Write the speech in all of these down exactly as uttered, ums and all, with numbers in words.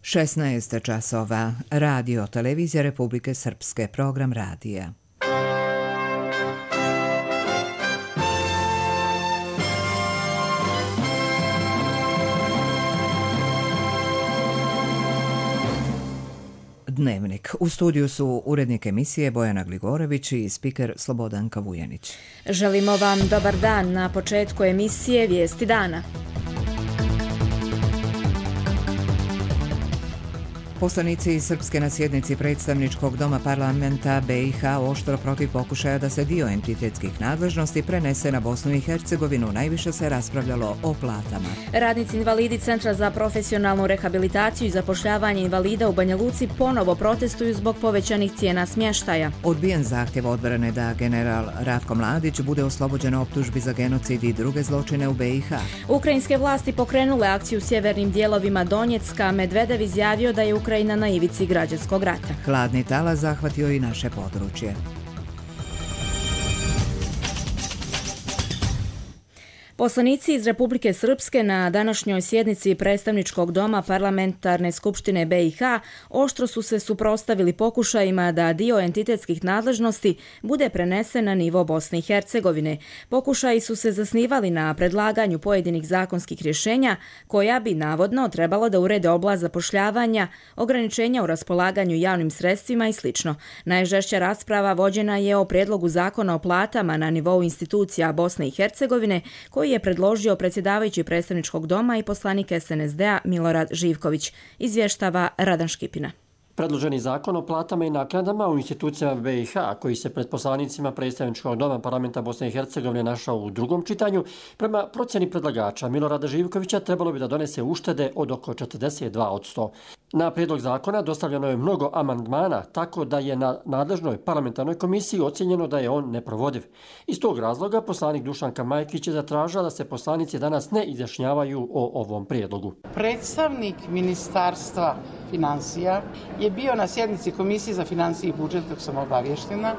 šesnaest časova. Radio Televizija Republike Srpske. Program radija. Dnevnik. U studiju su urednik emisije Bojana Gligorović i spiker Slobodanka Vujanić. Želimo vam dobar dan. Na početku emisije Vijesti dana. Poslanici Srpske na sjednici predstavničkog doma parlamenta B i H oštro protiv pokušaja da se dio entitetskih nadležnosti prenese na Bosnu i Hercegovinu. Najviše se raspravljalo o platama. Radnici invalidi Centra za profesionalnu rehabilitaciju i zapošljavanje invalida u Banja Luci ponovo protestuju zbog povećanih cijena smještaja. Odbijen zahtjev odbrane da general Ratko Mladić bude oslobođen optužbi za genocid i druge zločine u B i H. Ukrajinske vlasti pokrenule akciju u sjevernim dijelovima Donjecka. Medvedev izjavio da je Ukrajina Ukrajina na ivici građanskog rata. Hladni talas zahvatio i naše područje. Poslanici iz Republike Srpske na današnjoj sjednici predstavničkog doma parlamentarne skupštine B i H oštro su se suprotstavili pokušajima da dio entitetskih nadležnosti bude prenesen na nivo Bosne i Hercegovine. Pokušaji su se zasnivali na predlaganju pojedinih zakonskih rješenja koja bi navodno trebalo da urede oblast zapošljavanja, ograničenja u raspolaganju javnim sredstvima i sl. Najžešća rasprava vođena je o prijedlogu zakona o platama na nivou institucija Bosne i Hercegovine koji je predložio predsjedavajući predstavničkog doma i poslanik S N S D-a Milorad Živković, izvještava Radan Škipina. Predloženi zakon o platama i naknadama u institucijama B i H, koji se pred poslanicima predstavničkog doma parlamenta Bosne i Hercegovine našao u drugom čitanju, prema procjeni predlagača Milorada Živkovića trebalo bi da donese uštede od oko četrdeset dva posto. Na prijedlog zakona dostavljeno je mnogo amandmana, tako da je na nadležnoj parlamentarnoj komisiji ocjenjeno da je on neprovodiv. Iz tog razloga poslanik Dušanka Majkić je zatražila da se poslanici danas ne izjašnjavaju o ovom prijedlogu. Predstavnik Ministarstva financija je bio na sjednici Komisije za financije i budžet, kako sam obavještena,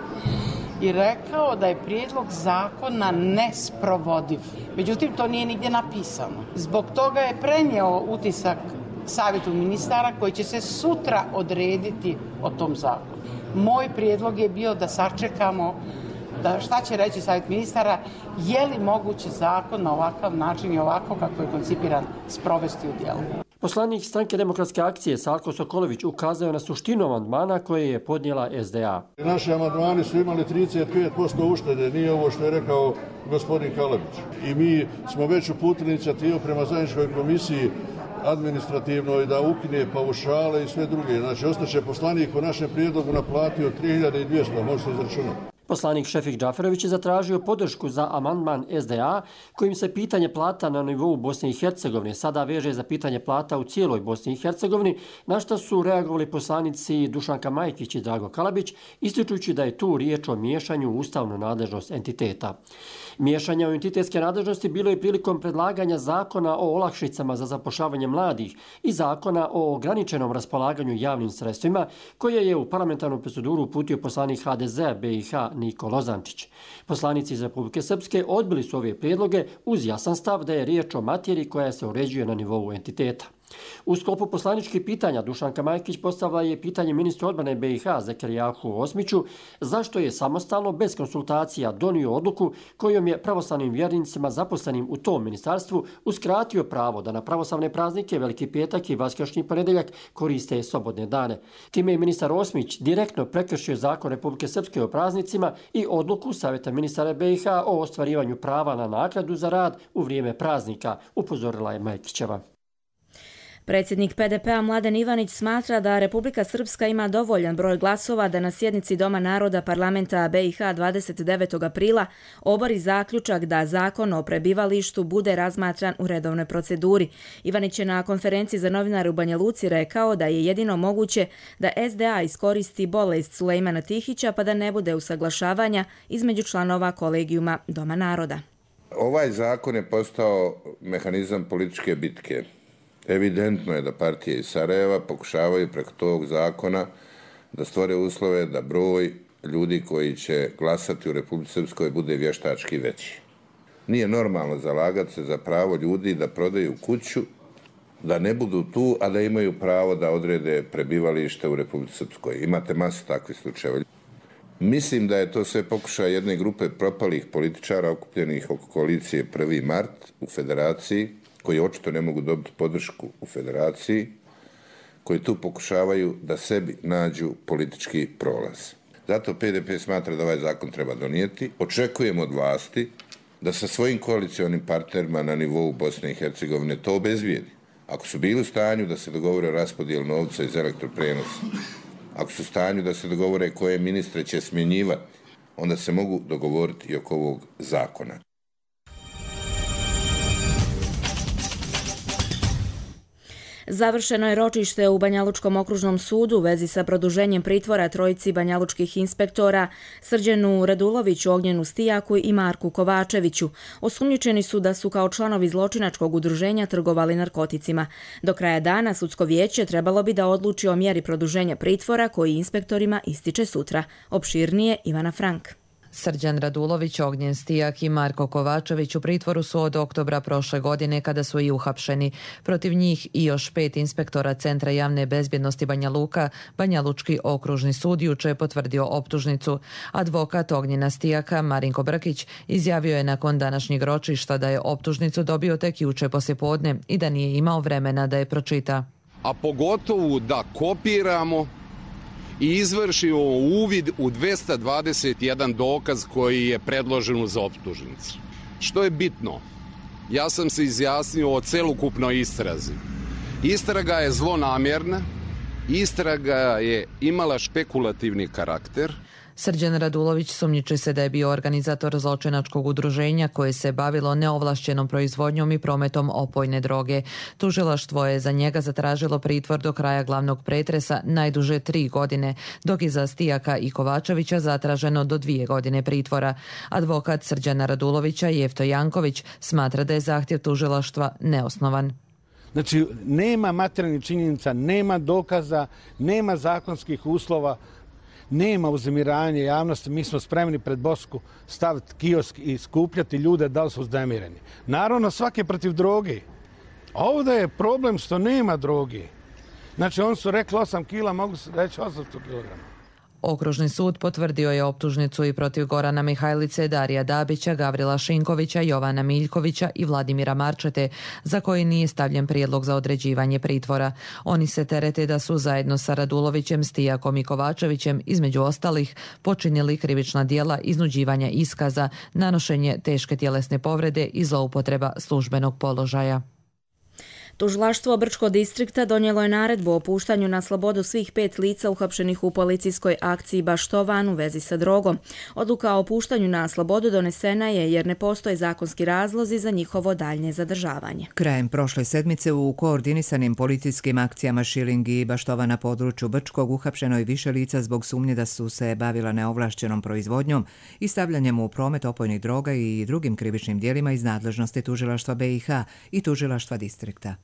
i rekao da je prijedlog zakona nesprovodiv. Međutim, to nije nigdje napisano. Zbog toga je prenio utisak Savjetu ministara koji će se sutra odrediti o tom zakonu. Moj prijedlog je bio da sačekamo da šta će reći Savjet ministara, je li moguće zakon na ovakav način i ovako kako je koncipiran sprovesti u djelo. Poslanik Stranke demokratske akcije Salko Sokolović ukazao na suštinu amandmana koje je podnijela S D A. Naši amandmani su imali trideset pet posto uštede, nije ovo što je rekao gospodin Kalabić. I mi smo već uputili inicijativu prema zajedničkoj komisiji administrativnoj da ukine paušale i sve druge. Znači, ostaće poslanik po našem prijedlogu naplatio tri hiljade dvjesto, može se izračunati. Poslanik Šefik Džaferović je zatražio podršku za amandman S D A kojim se pitanje plata na nivou Bosne i Hercegovine sada veže za pitanje plata u cijeloj Bosni i Hercegovini, na što su reagovali poslanici Dušanka Majkić i Drago Kalabić, ističujući da je tu riječ o miješanju u ustavnu nadležnost entiteta. Miješanja u entitetske nadležnosti bilo je prilikom predlaganja zakona o olakšicama za zapošljavanje mladih i zakona o ograničenom raspolaganju javnim sredstvima, koje je u parlamentarnu proceduru uputio poslanik H D Z B i H Niko Lozančić. Poslanici iz Republike Srpske odbili su ove prijedloge uz jasan stav da je riječ o materiji koja se uređuje na nivou entiteta. U sklopu poslaničkih pitanja Dušanka Majkić postavila je pitanje ministru odbrane B i H Zekerijahu Osmiću zašto je samostalno bez konsultacija donio odluku kojom je pravoslavnim vjernicima zaposlenim u tom ministarstvu uskratio pravo da na pravoslavne praznike Veliki petak i Vaskršnji ponedjeljak koriste slobodne dane. Time je ministar Osmić direktno prekršio zakon Republike Srpske o praznicima i odluku Savjeta ministara B i H o ostvarivanju prava na naknadu za rad u vrijeme praznika, upozorila je Majkićeva. Predsjednik P D P-a Mladen Ivanić smatra da Republika Srpska ima dovoljan broj glasova da na sjednici Doma naroda parlamenta B i H dvadeset devetog aprila obori zaključak da zakon o prebivalištu bude razmatran u redovnoj proceduri. Ivanić je na konferenciji za novinare u Banja Luci rekao da je jedino moguće da S D A iskoristi bolest Sulejmana Tihića pa da ne bude usaglašavanja između članova kolegijuma Doma naroda. Ovaj zakon je postao mehanizam političke bitke. Evidentno je da partije iz Sarajeva pokušavaju preko tog zakona da stvore uslove da broj ljudi koji će glasati u Republici Srpskoj bude vještački veći. Nije normalno zalagati se za pravo ljudi da prodaju kuću da ne budu tu, a da imaju pravo da odrede prebivalište u Republici Srpskoj. Imate masu takvih slučajeva. Mislim da je to sve pokušaj jedne grupe propalih političara okupljenih oko koalicije prvi mart u Federaciji, koji očito ne mogu dobiti podršku u Federaciji, koji tu pokušavaju da sebi nađu politički prolaz. Zato P D P smatra da ovaj zakon treba donijeti. Očekujemo od vlasti da sa svojim koalicionim partnerima na nivou Bosne i Hercegovine to obezbijedi. Ako su bili u stanju da se dogovore o raspodijelu novca iz elektroprenosa, ako su u stanju da se dogovore koje ministre će smjenjivati, onda se mogu dogovoriti i oko ovog zakona. Završeno je ročište u Banjalučkom okružnom sudu u vezi sa produženjem pritvora trojici banjalučkih inspektora Srđanu Raduloviću, Ognjenu Stijaku i Marku Kovačeviću. Osumnjičeni su da su kao članovi zločinačkog udruženja trgovali narkoticima. Do kraja dana sudsko vijeće trebalo bi da odluči o mjeri produženja pritvora koji inspektorima ističe sutra. Opširnije Ivana Frank. Srđan Radulović, Ognjen Stijak i Marko Kovačević u pritvoru su od oktobra prošle godine kada su i uhapšeni. Protiv njih i još pet inspektora Centra javne bezbjednosti Banja Luka, Banjalučki okružni sud juče je potvrdio optužnicu. Advokat Ognjena Stijaka, Marinko Brkić, izjavio je nakon današnjeg ročišta da je optužnicu dobio tek juče poslijepodne i da nije imao vremena da je pročita. A pogotovo da kopiramo i izvršimo uvid u dvesta dvadeset jedan dokaz koji je predložen za optužnicu. Što je bitno? Ja sam se izjasnio o celokupnoj istrazi. Istraga je zlonamjerna, istraga je imala špekulativni karakter. Srđan Radulović sumnjiči se da je bio organizator zločinačkog udruženja koje se bavilo neovlašćenom proizvodnjom i prometom opojne droge. Tužilaštvo je za njega zatražilo pritvor do kraja glavnog pretresa najduže tri godine, dok je za Stijaka i Kovačevića zatraženo do dvije godine pritvora. Advokat Srđana Radulovića, Jefto Janković, smatra da je zahtjev tužilaštva neosnovan. Znači, nema materijalnih činjenica, nema dokaza, nema zakonskih uslova, nema uzemiranja javnosti, mi smo spremni pred Bosku staviti kiosk i skupljati ljude da li su uznemireni. Naravno, svaki je protiv droge. Ovdje je problem što nema droge. Znači, oni su rekli osam kila, mogu se reći osamsto kilograma. Okružni sud potvrdio je optužnicu i protiv Gorana Mihajlice, Darija Dabića, Gavrila Šinkovića, Jovana Miljkovića i Vladimira Marčete, za koji nije stavljen prijedlog za određivanje pritvora. Oni se terete da su zajedno sa Radulovićem, Stijakom i Kovačevićem, između ostalih, počinili krivična djela iznuđivanja iskaza, nanošenje teške tjelesne povrede i zloupotreba službenog položaja. Tužilaštvo Brčkog distrikta donijelo je naredbu o puštanju na slobodu svih pet lica uhapšenih u policijskoj akciji Baštovan u vezi sa drogom. Odluka o puštanju na slobodu donesena je jer ne postoje zakonski razlozi za njihovo daljnje zadržavanje. Krajem prošle sedmice u koordinisanim policijskim akcijama Šiling i Baštova na području Brčkog uhapšeno je više lica zbog sumnje da su se bavila neovlašćenom proizvodnjom i stavljanjem u promet opojnih droga i drugim krivičnim djelima iz nadležnosti tužilaštva B i H i tužilaštva distrikta.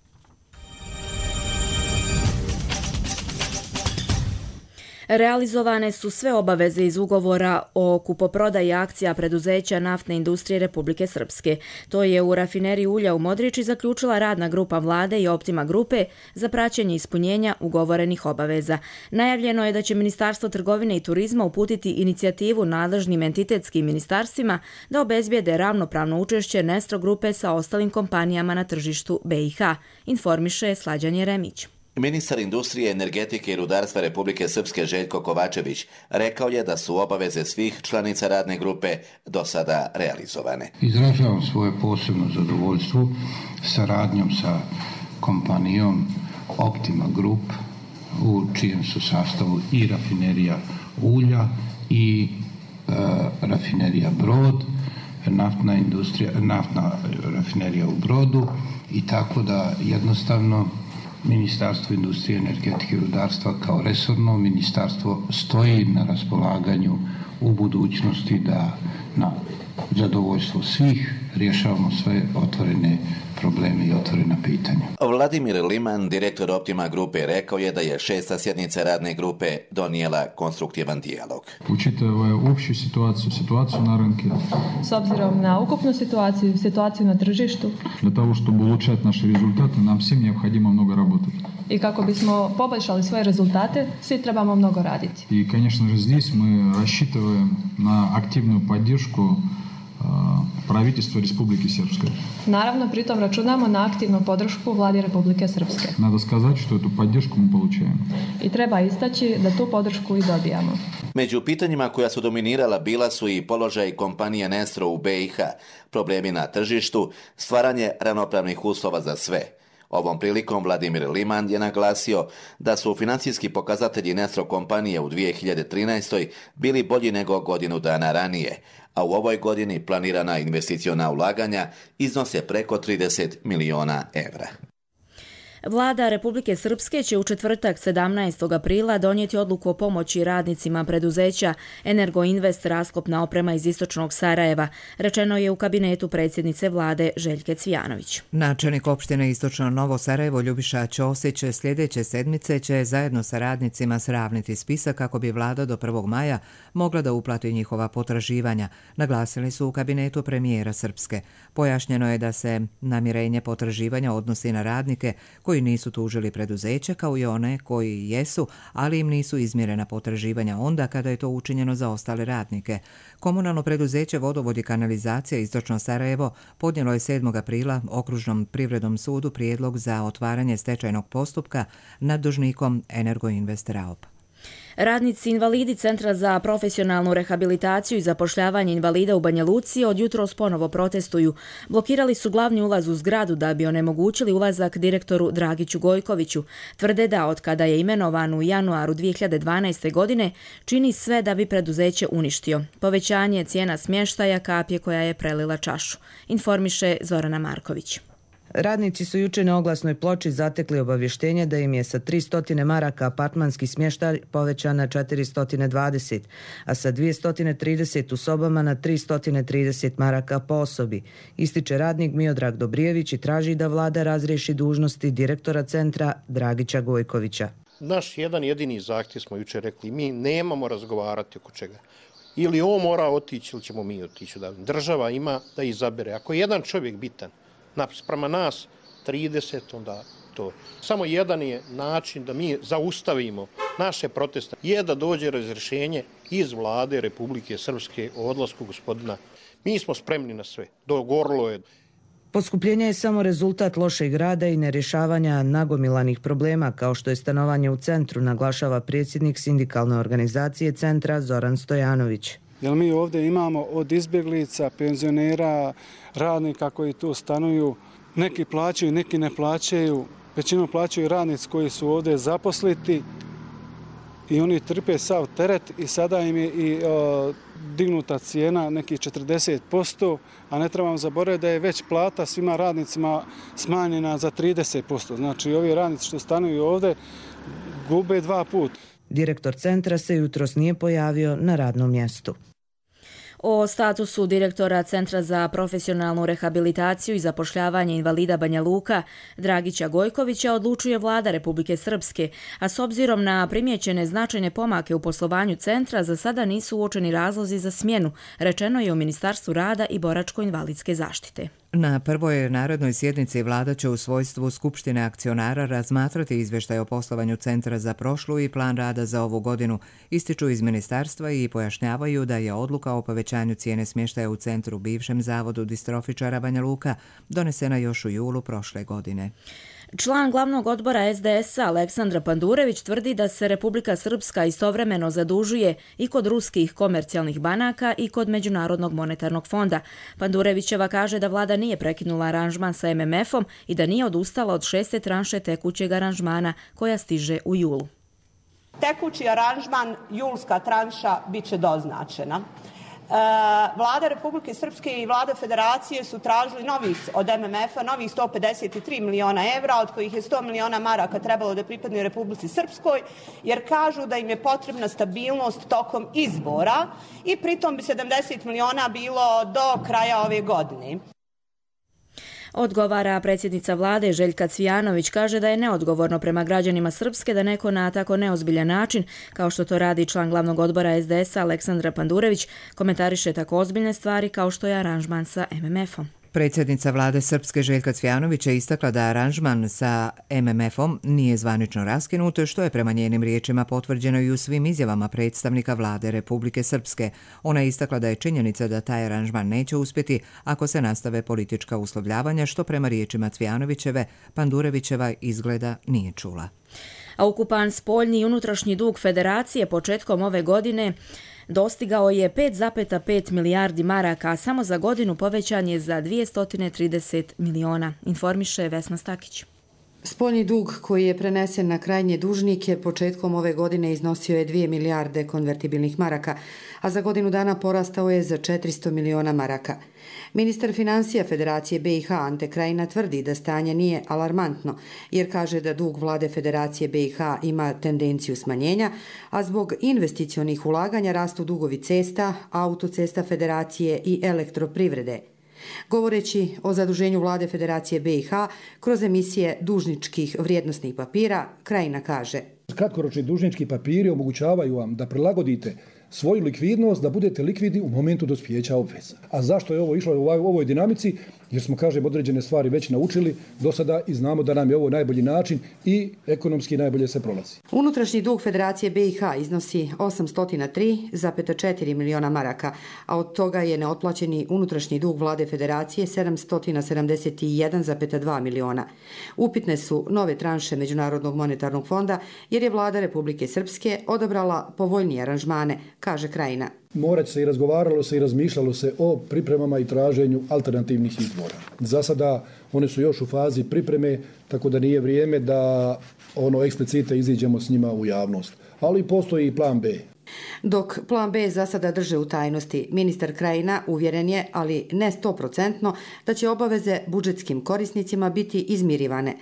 Realizovane su sve obaveze iz ugovora o kupoprodaji akcija preduzeća naftne industrije Republike Srpske. To je u rafineriji ulja u Modriči zaključila radna grupa vlade i Optima grupe za praćenje ispunjenja ugovorenih obaveza. Najavljeno je da će Ministarstvo trgovine i turizma uputiti inicijativu nadležnim entitetskim ministarstvima da obezbijede ravnopravno učešće Nestro grupe sa ostalim kompanijama na tržištu B i H, informiše Slađan Jeremić. Ministar industrije, energetike i rudarstva Republike Srpske Željko Kovačević rekao je da su obaveze svih članica radne grupe do sada realizovane. Izražavam svoje posebno zadovoljstvo saradnjom sa kompanijom Optima Group u čijem su sastavu i rafinerija ulja i e, rafinerija Brod, naftna industrija, naftna rafinerija u Brodu i tako da jednostavno Ministarstvo industrije, energetike i rudarstva kao resorno ministarstvo stoji na raspolaganju u budućnosti da na zadovoljstvo svih rješavamo sve otvorene probleme i otvorena pitanja. Vladimir Liman, direktor Optima grupe, rekao je da je šesta sjednica radne grupe donijela konstruktivan dijalog. Учитывая общую ситуацию, ситуацию на рынке. S obzirom na ukupnu situaciju, situaciju na tržištu. Для того, чтобы улучшать наши результаты, нам всем необходимо много работать. I kako bismo poboljšali svoje rezultate, svi trebamo mnogo raditi. И, конечно же, здесь мы рассчитываем на активную поддержку правительства Республики Српской. Naravno, pritom računamo na aktivnu podršku vladi Republike Srpske. Надо сказать, что эту поддержку мы получаем. I treba istaći da tu podršku i dobijamo. Među pitanjima koja su dominirala bila su i položaj kompanije Nestro u B i H, problemi na tržištu, stvaranje ravnopravnih uslova za sve. Ovom prilikom Vladimir Liman je naglasio da su financijski pokazatelji Nestro kompanije u dvije hiljade trinaestoj bili bolji nego godinu dana ranije, a u ovoj godini planirana investiciona ulaganja iznose preko trideset miliona evra. Vlada Republike Srpske će u četvrtak sedamnaestog aprila donijeti odluku o pomoći radnicima preduzeća Energoinvest rasklopna oprema iz istočnog Sarajeva, rečeno je u kabinetu predsjednice vlade Željke Cvijanović. Načelnik opštine Istočno Novo Sarajevo Ljubiša Ćosić sljedeće sedmice će zajedno sa radnicima sravniti spisak kako bi vlada do prvog maja mogla da uplati njihova potraživanja, naglasili su u kabinetu premijera Srpske. Pojašnjeno je da se namirenje potraživanja odnosi na radnike koji nisu tužili preduzeće kao i one koji jesu, ali im nisu izmjerena potraživanja onda kada je to učinjeno za ostale radnike. Komunalno preduzeće Vodovod i kanalizacija Istočno Sarajevo podnijelo je sedmog aprila Okružnom privrednom sudu prijedlog za otvaranje stečajnog postupka nad dužnikom Energoinvest Raop. Radnici invalidi Centra za profesionalnu rehabilitaciju i zapošljavanje invalida u Banja Luci od jutros ponovo protestuju. Blokirali su glavni ulaz u zgradu da bi onemogućili ulazak direktoru Dragiću Gojkoviću. Tvrde da od kada je imenovan u januaru dvije hiljade dvanaeste. godine čini sve da bi preduzeće uništio. Povećanje cijena smještaja kapje koja je prelila čašu, informiše Zorana Marković. Radnici su juče na oglasnoj ploči zatekli obavještenje da im je sa tristo maraka apartmanski smještaj povećan na četiristo dvadeset, a sa dvjesto trideset u sobama na tristo trideset maraka po osobi. Ističe radnik Miodrag Dobrijević i traži da vlada razriješi dužnosti direktora centra Dragića Gojkovića. Naš jedan jedini zahtjev smo juče rekli, mi nemamo razgovarati oko čega. Ili on mora otići ili ćemo mi otići. Država ima da izabere. Ako je jedan čovjek bitan, sprema nas trideset, onda to. Samo jedan je način da mi zaustavimo naše proteste, je da dođe razrješenje iz vlade Republike Srpske o odlasku gospodina. Mi smo spremni na sve. Dogovorilo je. Poskupljenje je samo rezultat lošeg rada i nerješavanja nagomilanih problema, kao što je stanovanje u centru, naglašava predsjednik sindikalne organizacije centra Zoran Stojanović. Jer mi ovdje imamo od izbjeglica, penzionera, radnika koji tu stanuju, neki plaćaju, neki ne plaćaju, većinom plaćaju radnici koji su ovdje zaposliti i oni trpe sav teret i sada im je i o, dignuta cijena nekih četrdeset posto, a ne trebamo zaboraviti da je već plata svima radnicima smanjena za trideset posto. Znači ovi radnici što stanuju ovdje gube dva puta. Direktor centra se jutros nije pojavio na radnom mjestu. O statusu direktora Centra za profesionalnu rehabilitaciju i zapošljavanje invalida Banja Luka Dragića Gojkovića odlučuje vlada Republike Srpske, a s obzirom na primijećene značajne pomake u poslovanju centra za sada nisu uočeni razlozi za smjenu, rečeno je u Ministarstvu rada i boračko-invalidske zaštite. Na prvoj narodnoj sjednici vlada će u svojstvu Skupštine akcionara razmatrati izvještaj o poslovanju centra za prošlu i plan rada za ovu godinu, ističu iz ministarstva i pojašnjavaju da je odluka o povećanju cijene smještaja u centru bivšem zavodu distrofičara Banja Luka donesena još u julu prošle godine. Član glavnog odbora es de es a Aleksandra Pandurević tvrdi da se Republika Srpska istovremeno zadužuje i kod ruskih komercijalnih banaka i kod Međunarodnog monetarnog fonda. Pandurevićeva kaže da vlada nije prekinula aranžman sa em em efom i da nije odustala od šeste tranše tekućeg aranžmana koja stiže u julu. Tekući aranžman, julska tranša, bit će doznačena. Vlada Republike Srpske i vlada Federacije su tražili novih od em em efa novih sto pedeset tri miliona evra, od kojih je sto miliona maraka trebalo da pripadne Republici Srpskoj, jer kažu da im je potrebna stabilnost tokom izbora i pritom bi sedamdeset miliona bilo do kraja ove godine. Odgovara predsjednica vlade Željka Cvijanović, kaže da je neodgovorno prema građanima Srpske da neko na tako neozbiljan način, kao što to radi član glavnog odbora es de esa Aleksandra Pandurević, komentariše tako ozbiljne stvari kao što je aranžman sa em em efom. Predsjednica vlade Srpske Željka Cvijanović je istakla da aranžman sa em em efom nije zvanično raskinut, što je prema njenim riječima potvrđeno i u svim izjavama predstavnika vlade Republike Srpske. Ona je istakla da je činjenica da taj aranžman neće uspjeti ako se nastave politička uslovljavanja, što prema riječima Cvijanovićeve Pandurevićeva izgleda nije čula. A ukupan spoljni i unutrašnji dug Federacije početkom ove godine dostigao je pet zarez pet milijardi maraka, a samo za godinu povećan je za dvjesto trideset miliona, informiše Vesna Stakić. Spoljni dug koji je prenesen na krajnje dužnike početkom ove godine iznosio je dvije milijarde konvertibilnih maraka, a za godinu dana porastao je za četiristo miliona maraka. Ministar financija Federacije be i ha Ante Krajina tvrdi da stanje nije alarmantno, jer kaže da dug vlade Federacije be i ha ima tendenciju smanjenja, a zbog investicionih ulaganja rastu dugovi cesta, autocesta Federacije i elektroprivrede. Govoreći o zaduženju vlade Federacije be i ha kroz emisije dužničkih vrijednosnih papira, Krajina kaže: Kratkoročni dužnički papiri omogućavaju vam da prilagodite svoju likvidnost, da budete likvidni u momentu dospijeća obveza. A zašto je ovo išlo u ovoj dinamici? Jer smo, kažem, određene stvari već naučili do sada i znamo da nam je ovo najbolji način i ekonomski najbolje se prolazi. Unutrašnji dug Federacije be i ha iznosi osamsto tri zarez četiri miliona maraka, a od toga je neotplaćeni unutrašnji dug vlade Federacije sedamsto sedamdeset jedan zarez dva miliona. Upitne su nove tranše Međunarodnog monetarnog fonda, jer je vlada Republike Srpske odabrala povoljnije aranžmane, kaže Krajina. Morat se i razgovaralo se i razmišljalo se o pripremama i traženju alternativnih izvora. Za sada one su još u fazi pripreme, tako da nije vrijeme da ono eksplicite iziđemo s njima u javnost. Ali postoji i plan B. Dok plan B za sada drže u tajnosti, ministar Krajina uvjeren je, ali ne sto procentno, da će obaveze budžetskim korisnicima biti izmirivane.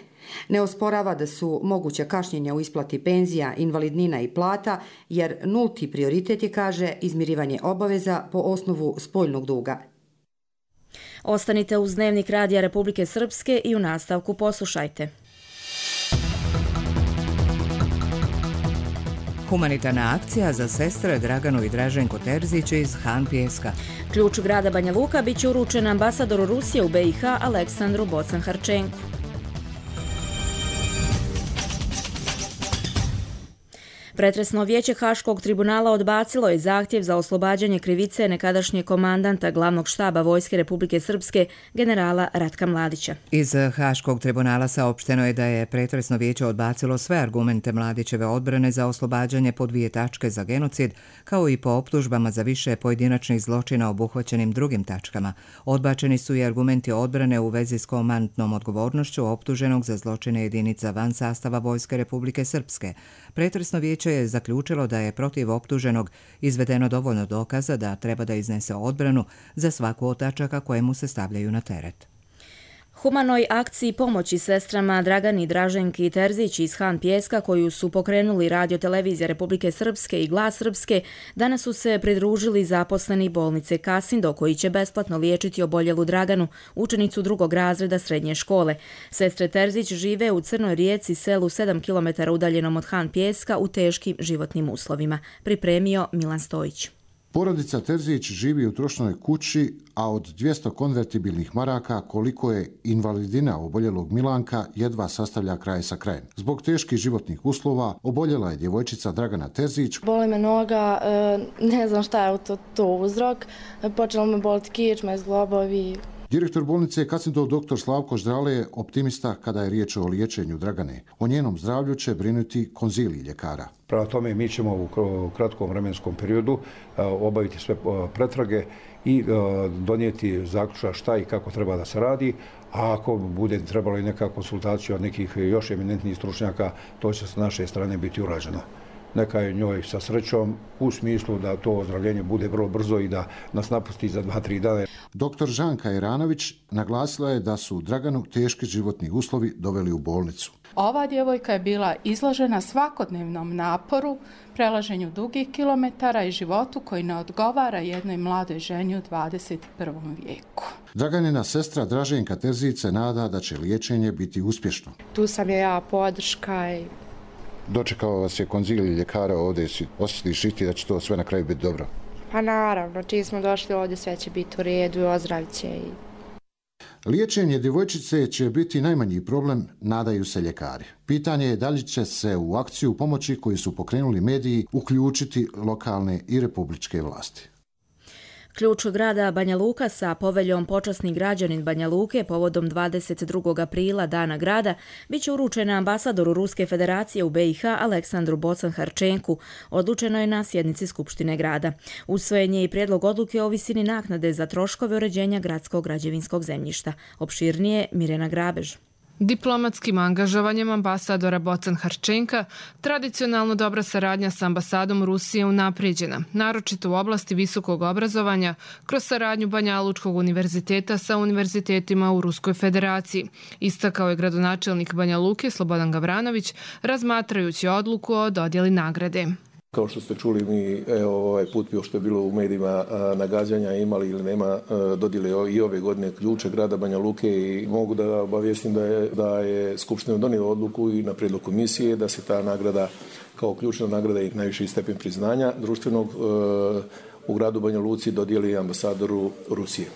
Ne osporava da su moguća kašnjenja u isplati penzija, invalidnina i plata, jer nulti prioritet je, kaže, izmirivanje obaveza po osnovu spoljnog duga. Ostanite uz Dnevnik Radija Republike Srpske i u nastavku poslušajte. Humanitarna akcija za sestre Draganu i Draženko Terzić iz Han Pijeska. Ključ grada Banja Luka bit će uručen ambasadoru Rusije u be i ha Aleksandru Bocan-Harčenku. Pretresno vijeće Haškog tribunala odbacilo je zahtjev za oslobađanje krivice nekadašnjeg komandanta glavnog štaba Vojske Republike Srpske generala Ratka Mladića. Iz Haškog tribunala saopšteno je da je pretresno vijeće odbacilo sve argumente Mladićeve odbrane za oslobađanje po dvije tačke za genocid, kao i po optužbama za više pojedinačnih zločina obuhvaćenim drugim tačkama. Odbačeni su i argumenti odbrane u vezi s komandnom odgovornošću optuženog za zločine jedinica van sastava Vojske Republike Srpske. Pretresno vijeće je zaključilo da je protiv optuženog izvedeno dovoljno dokaza da treba da iznese odbranu za svaku od tačaka koje mu se stavljaju na teret. Humanoj akciji pomoći sestrama Dragani i Draženki Terzić iz Han Pijeska, koju su pokrenuli Radio Televizija Republike Srpske i Glas Srpske, danas su se pridružili zaposleni bolnice Kasindo, koji će besplatno liječiti oboljelu Draganu, učenicu drugog razreda srednje škole. Sestre Terzić žive u Crnoj Rijeci, selu sedam kilometara udaljenom od Han Pijeska, u teškim životnim uslovima. Pripremio Milan Stojić. Porodica Terzić živi u trošnoj kući, a od dvjesto konvertibilnih maraka koliko je invalidina oboljelog Milanka jedva sastavlja kraj sa krajem. Zbog teških životnih uslova oboljela je djevojčica Dragana Terzić. Boli me noga, ne znam šta je to, to uzrok. Počelo me boliti kičma, zglobovi. Direktor bolnice Kasindo doktor Slavko Ždrale je optimista kada je riječ o liječenju Dragane. O njenom zdravlju će brinuti konzilij ljekara. Prema tome mi ćemo u kratkom vremenskom periodu obaviti sve pretrage i donijeti zaključak šta i kako treba da se radi, a ako bude trebalo i neka konsultacija od nekih još eminentnijih stručnjaka, to će s naše strane biti urađeno. Neka je njoj sa srećom u smislu da to ozdravljenje bude vrlo brzo i da nas napusti za dva tri dana. Doktor Žanka Iranović naglasila je da su Draganu teški životni uslovi doveli u bolnicu. Ova djevojka je bila izložena svakodnevnom naporu, prelaženju dugih kilometara i životu koji ne odgovara jednoj mladoj ženi u dvadeset prvom vijeku. Draganina sestra Draženka Terzić nada da će liječenje biti uspješno. Tu sam je ja podrška i... Dočekao vas je konzilij ljekara ovdje, osjetiš i ti da će to sve na kraju biti dobro? Pa naravno, čim smo došli ovdje sve će biti u redu i ozdravit će i... Liječenje djevojčice će biti najmanji problem, nadaju se ljekari. Pitanje je da li će se u akciju pomoći koju su pokrenuli mediji uključiti lokalne i republičke vlasti. Ključ grada Banja Luka sa poveljom Počasni građanin Banja Luke povodom dvadeset drugog aprila Dana grada bit će uručena ambasadoru Ruske federacije u B i H Aleksandru Bocan-Harčenku, odlučeno je na sjednici Skupštine grada. Usvojen je i prijedlog odluke o visini naknade za troškove uređenja gradskog građevinskog zemljišta. Opširnije Mirjana Grabež. Diplomatskim angažovanjem ambasadora Bocan-Harčenka tradicionalno dobra saradnja s ambasadom Rusije unaprijeđena, naročito u oblasti visokog obrazovanja kroz saradnju Banjalučkog univerziteta sa univerzitetima u Ruskoj federaciji, istakao je gradonačelnik Banja Luke Slobodan Gavranović razmatrajući odluku o dodjeli nagrade. Kao što ste čuli, mi evo, ovaj put što je bilo u medijima nagađanja imali ili nema dodjele i ove godine ključe grada Banja Luke i mogu da obavijestim da je, da je Skupština donijela odluku i na prijedlog komisije da se ta nagrada kao ključna nagrada i najviši stepen priznanja društvenog u gradu Banja Luci dodijeli ambasadoru Rusije.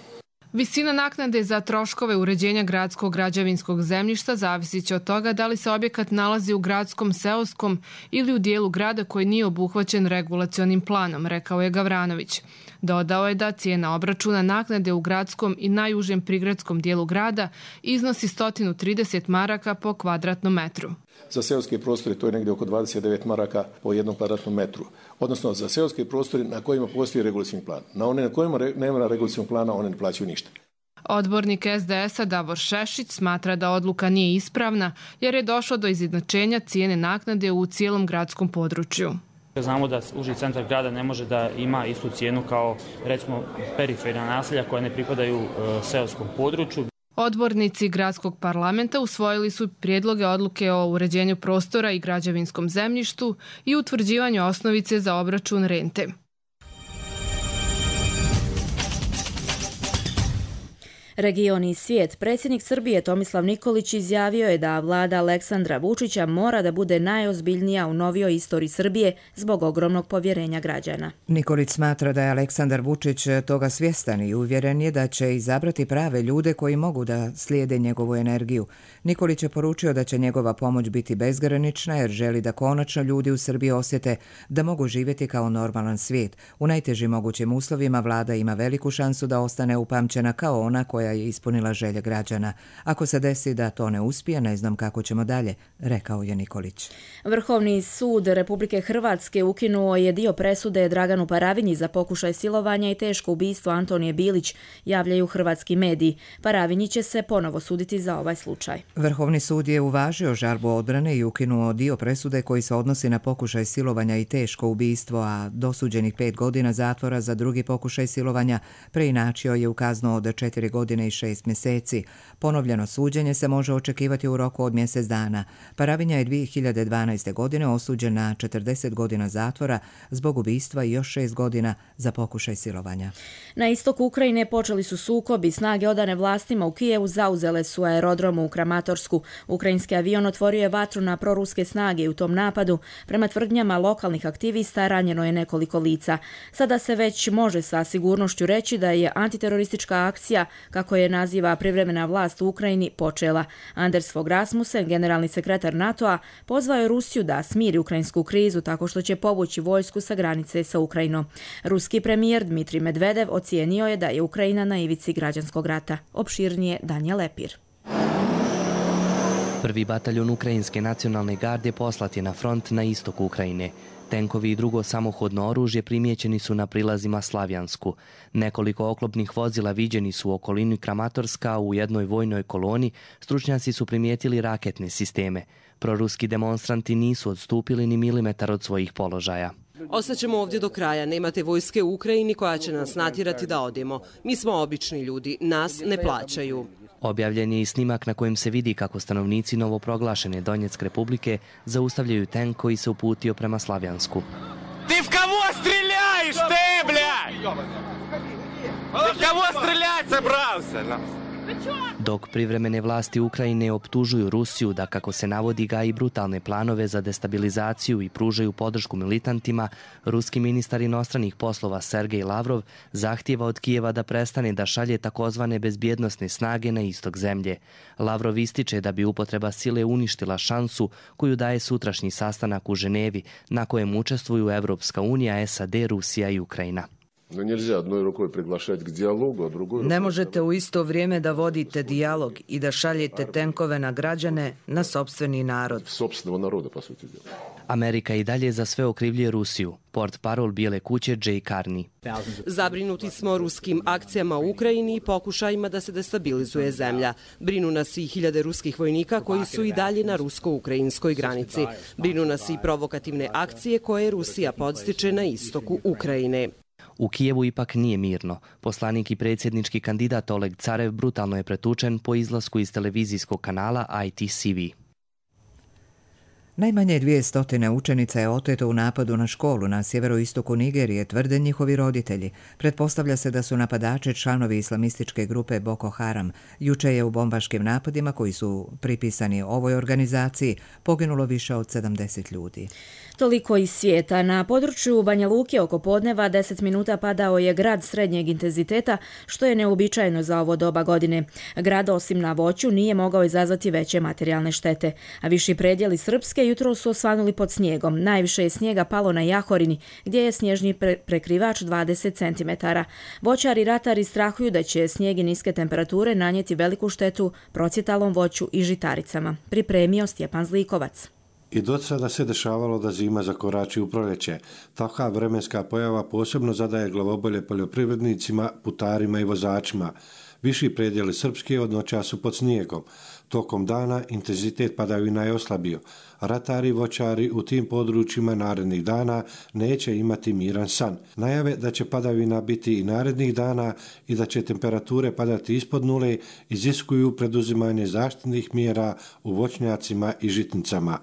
Visina naknade za troškove uređenja gradskog građevinskog zemljišta zavisit će od toga da li se objekat nalazi u gradskom, seoskom ili u dijelu grada koji nije obuhvaćen regulacionim planom, rekao je Gavranović. Dodao je da cijena obračuna naknade u gradskom i najužem prigradskom dijelu grada iznosi sto trideset maraka po kvadratnom metru. Za seoske prostore to je negdje oko dvadeset devet maraka po jednom kvadratnom metru. Odnosno za seoske prostore na kojima postoji regulacijni plan. Na one na kojima nema regulacijnog plana one ne plaćaju ništa. Odbornik S D S-a Davor Šešić smatra da odluka nije ispravna jer je došlo do izjednačenja cijene naknade u cijelom gradskom području. Znamo da uži centar grada ne može da ima istu cijenu kao recimo periferna naselja koja ne pripadaju e, seoskom području. Odbornici gradskog parlamenta usvojili su prijedloge odluke o uređenju prostora i građevinskom zemljištu i utvrđivanju osnovice za obračun rente. Region i svijet. Predsjednik Srbije Tomislav Nikolić izjavio je da vlada Aleksandra Vučića mora da bude najozbiljnija u novijoj istoriji Srbije zbog ogromnog povjerenja građana. Nikolić smatra da je Aleksandar Vučić toga svjestan i uvjeren je da će izabrati prave ljude koji mogu da slijede njegovu energiju. Nikolić je poručio da će njegova pomoć biti bezgranična jer želi da konačno ljudi u Srbiji osjete da mogu živjeti kao normalan svijet. U najtežim mogućim uslovima vlada ima veliku šansu da ostane upamćena kao ona koja je ispunila želje građana. Ako se desi da to ne uspije, ne znam kako ćemo dalje, rekao je Nikolić. Vrhovni sud Republike Hrvatske ukinuo je dio presude Draganu Paravinji za pokušaj silovanja i teško ubistvo Antonije Bilić, javljaju hrvatski mediji. Paravinji će se ponovo suditi za ovaj slučaj. Vrhovni sud je uvažio žalbu odbrane i ukinuo dio presude koji se odnosi na pokušaj silovanja i teško ubistvo, a dosuđenih pet godina zatvora za drugi pokušaj silovanja preinačio je u kaznu od četiri godine i šest mjeseci. Ponovljeno suđenje se može očekivati u roku od mjesec dana. Paravinja je dvije hiljade dvanaeste. godine osuđen na četrdeset godina zatvora zbog ubistva i još šest godina za pokušaj silovanja. Na istoku Ukrajine počeli su sukobi. Snage odane vlastima u Kijevu zauzele su aerodrom u Kramatorsku. Ukrajinski avion otvorio je vatru na proruske snage i u tom napadu, prema tvrdnjama lokalnih aktivista, ranjeno je nekoliko lica. Sada se već može sa sigurnošću reći da je antiteroristička akcija, kako je naziva privremena vlast u Ukrajini, počela. Anders Fogh Rasmussen, generalni sekretar NATO-a, pozvao je Rusiju da smiri ukrajinsku krizu tako što će povući vojsku sa granice sa Ukrajinom. Ruski premijer Dmitrij Medvedev ocijenio je da je Ukrajina na ivici građanskog rata. Opširnije Danja Lepir. Prvi bataljon Ukrajinske nacionalne garde poslat je na front na istoku Ukrajine. Tenkovi i drugo samohodno oružje primijećeni su na prilazima Slavjansku. Nekoliko oklopnih vozila viđeni su u okolini Kramatorska, u jednoj vojnoj koloni stručnjaci su primijetili raketne sisteme. Proruski demonstranti nisu odstupili ni milimetar od svojih položaja. Ostaćemo ovdje do kraja, nemate vojske u Ukrajini koja će nas natjerati da odemo. Mi smo obični ljudi, nas ne plaćaju. Objavljen je i snimak na kojem se vidi kako stanovnici novoproglašene Donjeck Republike zaustavljaju tank koji se uputio prema Slavjansku. Ti v kavo streljaš, te, bljaj? Ti v kavo streljaj se, brav se, Dok privremene vlasti Ukrajine optužuju Rusiju da, kako se navodi, gaji brutalne planove za destabilizaciju i pružaju podršku militantima, ruski ministar inostranih poslova Sergej Lavrov zahtijeva od Kijeva da prestane da šalje takozvane bezbjednosne snage na istok zemlje. Lavrov ističe da bi upotreba sile uništila šansu koju daje sutrašnji sastanak u Ženevi, na kojem učestvuju Evropska unija, S A D, Rusija i Ukrajina. Ne možete u isto vrijeme da vodite dijalog i da šaljete tenkove na građane, na sopstveni narod. Amerika i dalje za sve okrivljuje Rusiju. Portparol Bijele kuće Jay Carney. Zabrinuti smo ruskim akcijama u Ukrajini i pokušajima da se destabilizuje zemlja. Brinu nas i hiljade ruskih vojnika koji su i dalje na rusko-ukrajinskoj granici. Brinu nas i provokativne akcije koje Rusija podstiče na istoku Ukrajine. U Kijevu ipak nije mirno. Poslanik i predsjednički kandidat Oleg Carev brutalno je pretučen po izlasku iz televizijskog kanala I T C V. Najmanje dvije stotine učenica je oteto u napadu na školu na sjeveroistoku Nigerije, tvrde njihovi roditelji. Pretpostavlja se da su napadači članovi islamističke grupe Boko Haram. Juče je u bombaškim napadima, koji su pripisani ovoj organizaciji, poginulo više od sedamdeset ljudi. Toliko iz svijeta. Na području Banja Luke oko podneva deset minuta padao je grad srednjeg intenziteta, što je neobičajeno za ovo doba godine. Grad, osim na voću, nije mogao izazvati veće materijalne štete. A viši predjeli Srpske jutro su osvanuli pod snijegom. Najviše je snijega palo na Jahorini, gdje je snježni pre- prekrivač dvadeset centimetara. Voćari i ratari strahuju da će snijeg i niske temperature nanijeti veliku štetu procjetalom voću i žitaricama. Pripremio Stjepan Zlikovac. I do sada se dešavalo da zima zakorači u proljeće. Takva vremenska pojava posebno zadaje glavobolje poljoprivrednicima, putarima i vozačima. Viši predjeli Srpske od noća su pod snijegom. Tokom dana intenzitet padavina je oslabio. Ratari i voćari u tim područjima narednih dana neće imati miran san. Najave da će padavina biti i narednih dana i da će temperature padati ispod nule iziskuju preduzimanje zaštitnih mjera u voćnjacima i žitnicama.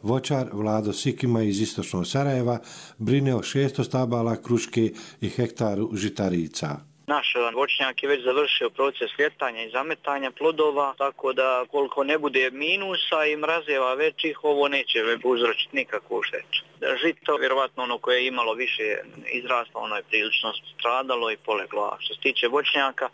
Voćar Vlado Sikima iz istočnog Sarajeva brine o šesto stabala kruške i hektaru žitarica. Naš voćnjak je već završio proces ljetanja i zametanja plodova, tako da koliko ne bude minusa i mrazeva većih, ovo neće uzročiti nikakvu štetu. Žito, vjerovatno ono koje je imalo više izraslo, ono je prilično stradalo i poleglo. A što se tiče voćnjaka,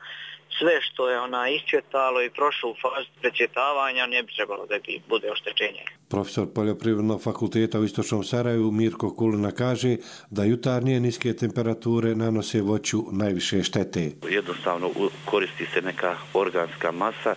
sve što je ona iscvjetalo i prošlo u fazu precvjetavanja ne bi trebalo da bi bude oštećenje. Profesor Poljoprivrednog fakulteta u Istočnom Sarajevu Mirko Kulina kaže da jutarnje niske temperature nanose voću najviše štete. Jednostavno koristi se neka organska masa,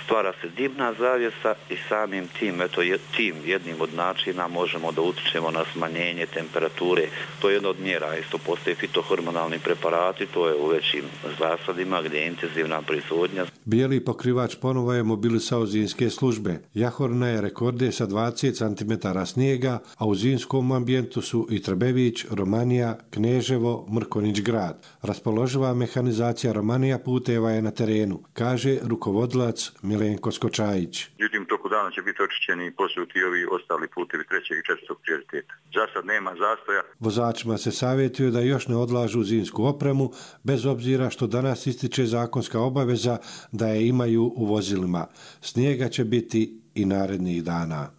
stvara se dimna zavjesa i samim tim, eto, tim jednim od načina možemo da utičemo na smanjenje temperature. To je jedna od mjera. Isto postoje fitohormonalni preparati, to je u većim zasadima gdje je intenzivna proizvodnja. Bijeli pokrivač ponovo je mobilisao zimske službe. Jahorna je rekorde sa dvadeset centimetara snijega, a u zimskom ambijentu su i Trbević, Romanija, Kneževo, Mrkonić grad. Raspoloživa mehanizacija Romanija puteva je na terenu, kaže rukovodilac Milenko Skočajić. Međutim, toku dana će biti očišćeni i posuti ovi ostali putevi trećeg i četvrtog prioriteta. Za sad nema zastoja. Vozačima se savjetuje da još ne odlažu zimsku opremu, bez obzira što danas ističe zakonska obaveza da je imaju u vozilima. Snijega će biti i narednih dana.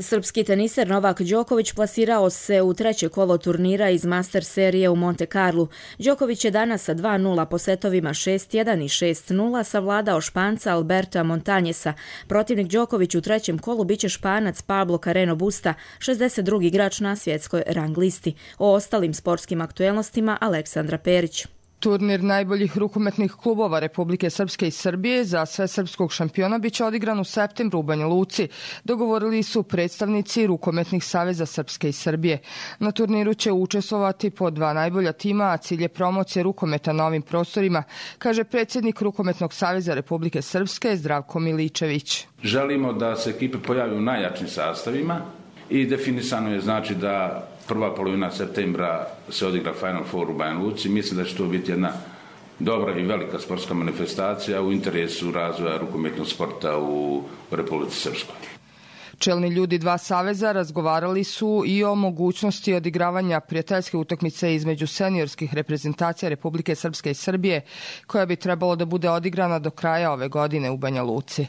Srpski teniser Novak Đoković plasirao se u treće kolo turnira iz Master serije u Monte Carlu. Đoković je danas sa dva nula po setovima šest jedan i šest nula savladao Španca Alberta Montanjesa. Protivnik Đoković u trećem kolu biće Španac Pablo Carreno Busta, šezdeset drugi igrač na svjetskoj rang listi. O ostalim sportskim aktuelnostima Aleksandra Perić. Turnir najboljih rukometnih klubova Republike Srpske i Srbije za svesrpskog šampiona biće odigran u septembru u Banja Luci. Dogovorili su predstavnici rukometnih saveza Srpske i Srbije. Na turniru će učestvovati po dva najbolja tima, a cilj je promocije rukometa na ovim prostorima, kaže predsjednik Rukometnog saveza Republike Srpske Zdravko Miličević. Želimo da se ekipe pojave u najjačim sastavima i definisano je znači da Prva polovina septembra se odigra Final Four u Banja Luci. Mislim da će to biti jedna dobra i velika sportska manifestacija u interesu razvoja rukometnog sporta u Republici Srpskoj. Čelni ljudi dva saveza razgovarali su i o mogućnosti odigravanja prijateljske utakmice između seniorskih reprezentacija Republike Srpske i Srbije, koja bi trebalo da bude odigrana do kraja ove godine u Banja Luci.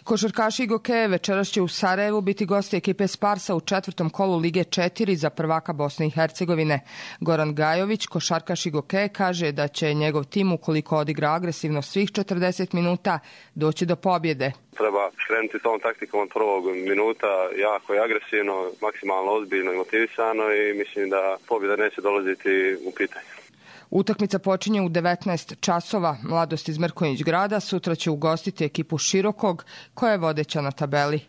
Košarkaši Gokeje večeras će u Sarajevu biti gosti ekipe Sparsa u četvrtom kolu Lige četiri za prvaka Bosne i Hercegovine. Goran Gajović, košarkaš Gokeje, kaže da će njegov tim, ukoliko odigra agresivno svih četrdeset minuta, doći do pobjede. Treba krenuti tom taktikom od prvog minuta, jako i agresivno, maksimalno ozbiljno i motivisano i mislim da pobjeda neće dolaziti u pitanje. Utakmica počinje u devetnaest časova. Mladost iz Mrkonjić Grada sutra će ugostiti ekipu Širokog, koja je vodeća na tabeli.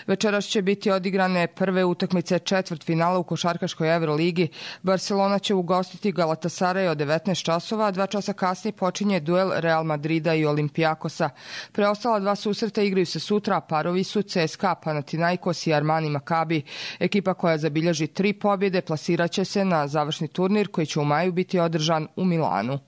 Večeras će biti odigrane prve utakmice četvrtfinala u košarkaškoj Euroligi. Barcelona će ugostiti Galatasaray od devetnaest časova, a dva časa kasnije počinje duel Real Madrida i Olimpijakosa. Preostala dva susreta igraju se sutra, a parovi su C S K A, Panathinaikos i Armani Makabi. Ekipa koja zabilježi tri pobjede plasirat će se na završni turnir koji će u maju biti održan u Milanu.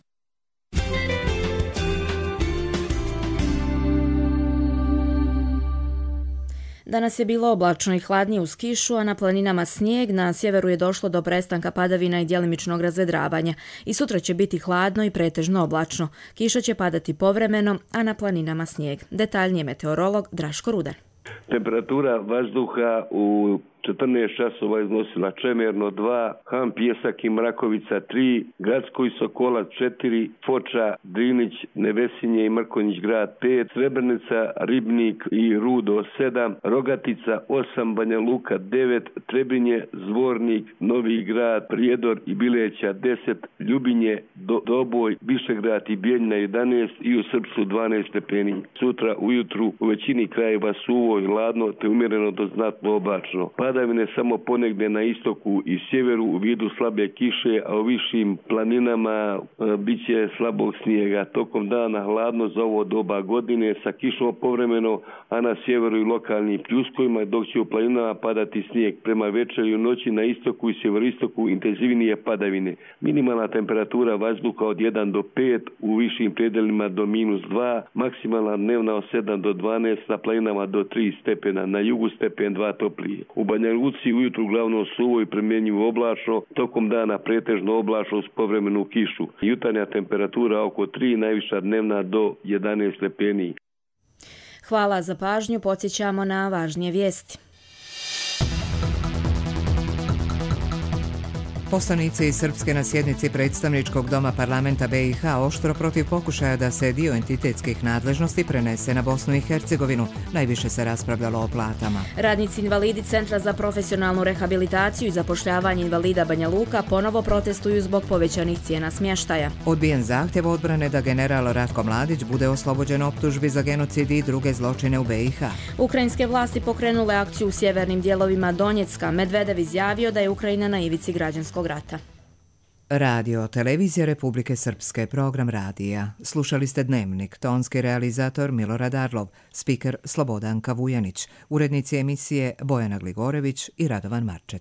Danas je bilo oblačno i hladnije uz kišu, a na planinama snijeg. Na sjeveru je došlo do prestanka padavina i djelimičnog razvedravanja. I sutra će biti hladno i pretežno oblačno. Kiša će padati povremeno, a na planinama snijeg. Detaljnije meteorolog Draško Rudan. Temperatura vazduha u četrnaest časova iznosila Čemerno dva, Han Pjesak i Mrakovica tri, Gradsko i Sokolac četiri, Foča, Drinić, Nevesinje i Mrkonjić Grad pet, Srebrenica, Ribnik i Rudo sedam, Rogatica osam, Banja Luka devet, Trebinje, Zvornik, Novi Grad, Prijedor i Bileća deset, Ljubinje, Do, Doboj, Višegrad i Bijeljina jedanaest i u Srpsu dvanaest stepeni. Sutra ujutru u većini krajeva suvo i hladno te umjereno do znatno oblačno. Padavine samo ponegdje na istoku i sjeveru u vidu slabe kiše, a u višim planinama e, bit će slabog snijega. Tokom dana hladno za ovo doba godine sa kišom povremeno, a na sjeveru i lokalnim pljuskovima, dok će u planinama padati snijeg. Prema večeri i noći na istoku i sjeveristoku intenzivnije padavine. Minimalna temperatura vazduha od jedan do pet, u višim predelima do minus dva, maksimalna dnevna od sedam do dvanaest, na planinama do tri stepena, na jugu stepen dva toplije. U Banja Luci ujutru uglavnom suvo i promjenjivo oblačno, tokom dana pretežno oblačno s povremenu kišu. Jutarnja temperatura oko tri, najviša dnevna do jedanaest stepeni. Hvala za pažnju, podsjećamo na važnije vijesti. Poslanici iz Srpske na sjednici predstavničkog doma parlamenta B i H oštro protiv pokušaja da se dio entitetskih nadležnosti prenese na Bosnu i Hercegovinu. Najviše se raspravljalo o platama. Radnici invalidi Centra za profesionalnu rehabilitaciju i zapošljavanje invalida Banja Luka ponovo protestuju zbog povećanih cijena smještaja. Odbijen zahtjev odbrane da general Ratko Mladić bude oslobođen optužbi za genocid i druge zločine u B i H. Ukrajinske vlasti pokrenule akciju u sjevernim dijelovima Donjecka. Medvedev izjavio da je Ukrajina na ivici građanskog rata. Radio, televizija Republike Srpske, program radija. Slušali ste Dnevnik, tonski realizator Milorad Arlov, spiker Slobodanka Vujanić, urednici emisije Bojana Gligorević i Radovan Marčet.